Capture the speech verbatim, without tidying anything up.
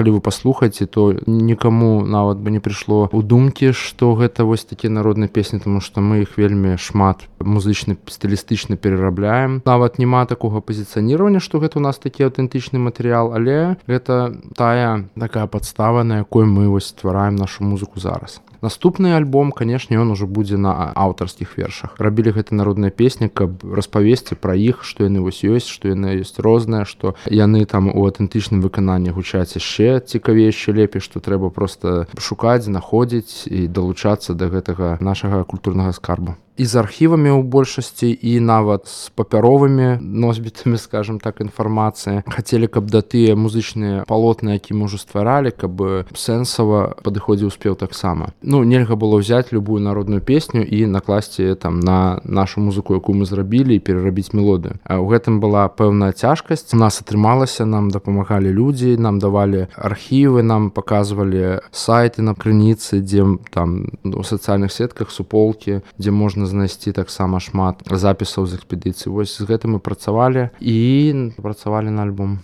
калі вы паслухаеце, то нікаму нават бы не прыйшло ў думкі, што гэта вось такія народныя песні, тому што мы іх вельмі шмат музычна стылістычна перарабляем. Нават няма такога пазіцыяніравання, што гэта у нас такі аўтэнтычны матэрыял, але гэта тая такая падстава, на якой мы вось ствараем нашу музыку зараз. Наступны альбом, канешне, ён ужо будзе на аўтарскіх вершах. Рабілі гэта народныя песні, каб распавесці пра іх, што яны вось ёсць, што яны ёсць розныя, што яны там у аўтэнтычным выкананні гучаць яшчэ цікавей, яшчэ лепей, што трэба проста шукаць, знаходзіць і далучацца да гэтага нашага культурнага скарбу. І з архівамі ў большасці, і нават з папяровымі носьбітамі, скажем так, інфармацыі. Хацелі, каб да тыя музычныя палотны, які мы ўжо стваралі, каб сэнсава падыходзіў спеў таксама. Ну, нельга было ўзяць любую народную песню і накласці там на нашу музыку, якую мы зрабілі, і перарабіць мелодыю. А ў гэтым была пэўная цяжкасць. У нас атрымалася, нам дапамагалі людзі, нам давалі архівы, нам паказвалі сайты на крыніцы, дзе там у сацыяльных сетках, суполкі, дзе можна знайсці таксама шмат запісаў з экспедыцыі. Вось з гэтым мы працавалі і працавалі на альбом.